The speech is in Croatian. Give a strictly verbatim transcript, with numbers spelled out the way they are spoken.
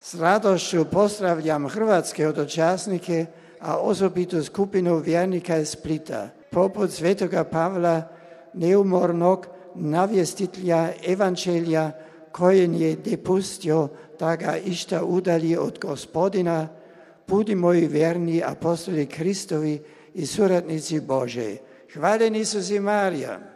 S radošću pozdravljam hrvatske hodočasnike, a osobito skupinu vjernika iz Splita. Poput svetoga Pavla, neumornog navjestitelja evanđelja, koji je dopustio da ga išta udalji od Gospodina, budimo i vjerni apostoli Kristovi i suradnici Božji. Hvaljen Isus i Marija.